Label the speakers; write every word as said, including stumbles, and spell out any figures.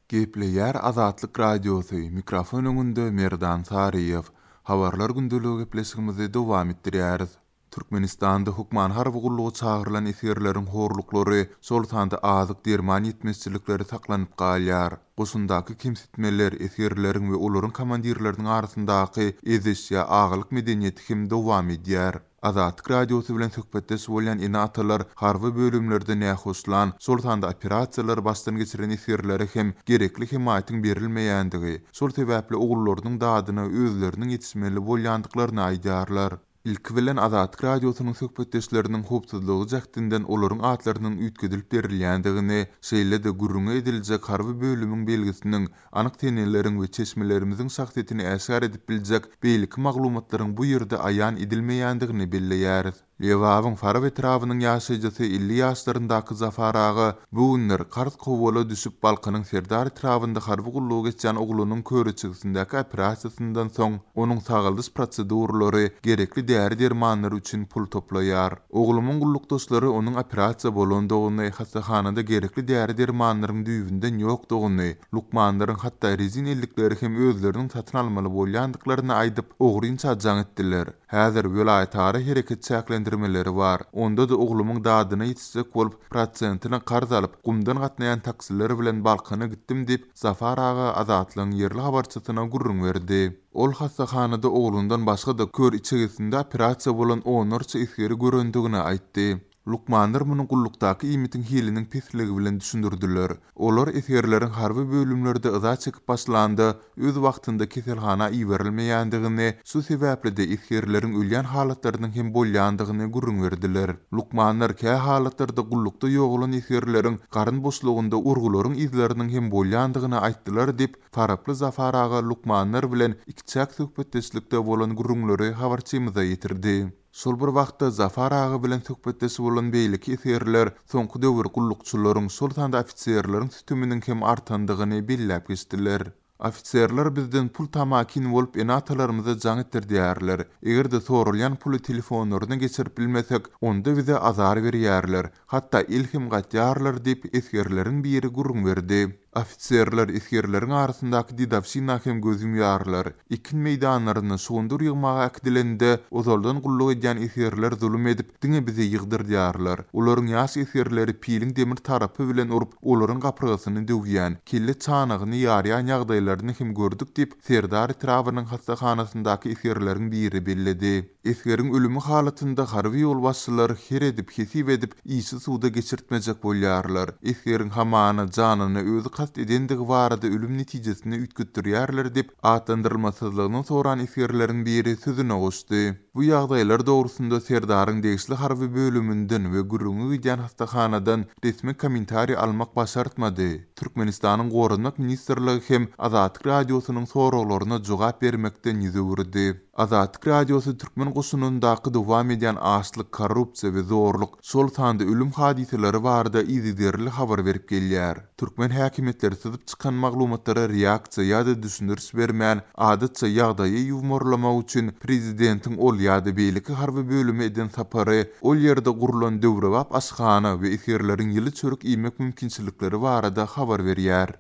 Speaker 1: Gepleýär Azatlyk Radiosy, mikrofon öňünde Merdan Saryýew. Habarlar gündeligi gepleşigimizi dowam etdirýäris. Türkmenistanda hökman harby gulluga çagyrylan esgerleriň horluklary, şol sanda azyk derman ýetmezçilikleri saklanyp galýar. Goşundaky kemsitmeler, esgerleriň we olaryň komandirleriniň arasyndaky eziş ýa agalyk medeniýeti hem dowam edýär. Azatlyk Radiosy bilen söhbetdeş bolýan ene-atalar harby bölümlerde nähoşlan, şol sanda operasiýalary başdan geçiren esgerlere hem gerekli hemaýatyň berilmeýändigi, şol sebäpli ogullarynyň dadyna özleriniň ýetişmeli bolýandyklaryny aýdýarlar. Ilki bilen Azatlyk Radiosynyň söhbetdeşleriniň howpsuzlygy jähtinden olaryň atlarynyň üýtgedilip berilýändigini, şeýle-de gürrüňi ediljek harby bölümiň belgisiniň, anyk seneleriň we çeşmelerimiziň şahsyýetini äşgär edip biljek beýleki maglumatlaryň bu ýerde aýan edilmeýändigini belleýäris. Lebabyň Farap etrabynyň ýaşaýjysy elli ýaşlaryndaky Zafar aga bu günler karz kowala düşüp Balkanyň Serdar etrabynda harby gullugy geçýän oglunyň köriçegesindäki operasiýasyndan soň onuň sagaldyş proseduralary, gerekli däri dermanlary üçin pul toplaýar. Oglumyň gullukdaşlary onuň operasiýa bolandygyny, hassahanada gerekli däri dermanlaryň düýbünden ýokdugyny, lukmanlaryň hatda rezin ellikleri hem özleriniň satyn almaly bolýandyklaryny aýdyp, ogrynça jaň etdiler. Häzir welaýatara hereket çäklendirmeleri bar. Onda-da oglumyň dadyna ýetişjek bolup, prosentine karz alyp, gumdan gatnaýan taksiler bilen Balkana gitdim diýip, Zafar aga Azatlygyň ýerli habarçysyna gürrüň berdi. Ol hassahanada oglundan başga-da kör içegesinde operasiýa bolan onlarça esgeri görendigini aýtdy. Lukmanlar muny gullukdaky iýmitiň hiliniň pesligi bilen düşündirdiler. Olar esgerleriň harby bölümlerde yza çekip başlanda öz wagtynda keselhana iberilmeýändigini, şu sebäpli-de esgerleriň ölýän halatlarynyň hem bolýandygyny gürrüň berdiler. Lukmanlar kä halatlarda gullukda ýogalan esgerleriň garyn boşlugynda urgularyň yzlarynyň hem bolýandygyny aýtdylar diýip, Faraply Zafar aga lukmanlar bilen ikiçäk söhbetdeşlikde bolan gürrüňleri habarçymyza ýetirdi. Şol bir wagtda Zafar aga bilen söhbetdeş bolan beýleki esgerler soňky döwür gullukçylaryň, şol sanda ofiserleriň sütüminiň hem artandygyny belläp geçdiler. Ofiserler bizden pul tamakin bolup ene-atalarymyza jaň etdirýärler. Eger-de sorulýan puly telefonlaryna geçirip bilmesek, onda bize azar berýärler. Hatda el hem gatýarlar diýip esgerleriň biri gürrüň berdi. Ofiserler esgerleriň arasyndaky dedowşina hem göz ýumýarlar. Ekin meýdanlaryna şugundyr ýygmaga äkidilende ozaldan gulluk edýän esgerler zulum edip, diňe bizi ýygdyrýarlar. Olaryň ýaş esgerleri piliň demir tarapy bilen urup, olaryň gapyrgasyny döwýän, kelle çanagyny ýarýan ýagdaýlaryny hem gördük diýip, Serdar etrabynyň hassahanasyndaky esgerleriň biri belledi. Esgeriň ölümi halatynda harby ýolbaşçylar her edip, hesip edip, işi suda geçirtmejek bolýarlar. Esgeriň hamana janyna özi kast edendigi barada ölüm netijesini üýtgetdirýärler diýip, atlandyrylmasyzlygyny soran esgerleriň biri sözüne goşdy. Bu ýagdaýlar dogrusynda Serdaryň degişli harby bölüminden we gürrüňi gidýän hassahanadan resmi kommentariý almak başartmady. Türkmenistanyň Goranmak ministrligi hem Azatlyk Radiosynyň soraglaryna jogap bermekden ýüz öwürdi. Azatlyk Radiosy türkmen goşunyndaky dowam edýän açlyk, korrupsiýa we zorluk, şol sanda ölüm hadysalary barada yzygiderli habar berip gelýär. Türkmen häkimiýetleri syzyp çykan maglumatlara reaksiýa ýa-da düşündiriş bermän, adatça ýagdaýy ýuwmarlamak üçin prezidentiň ol ýa-da beýleki harby bölüme eden sapary, ol ýerde gurulan döwrebap aşhana we esgerleriň ýyly çörek iýmek mümkinçilikleri barada habar berýär.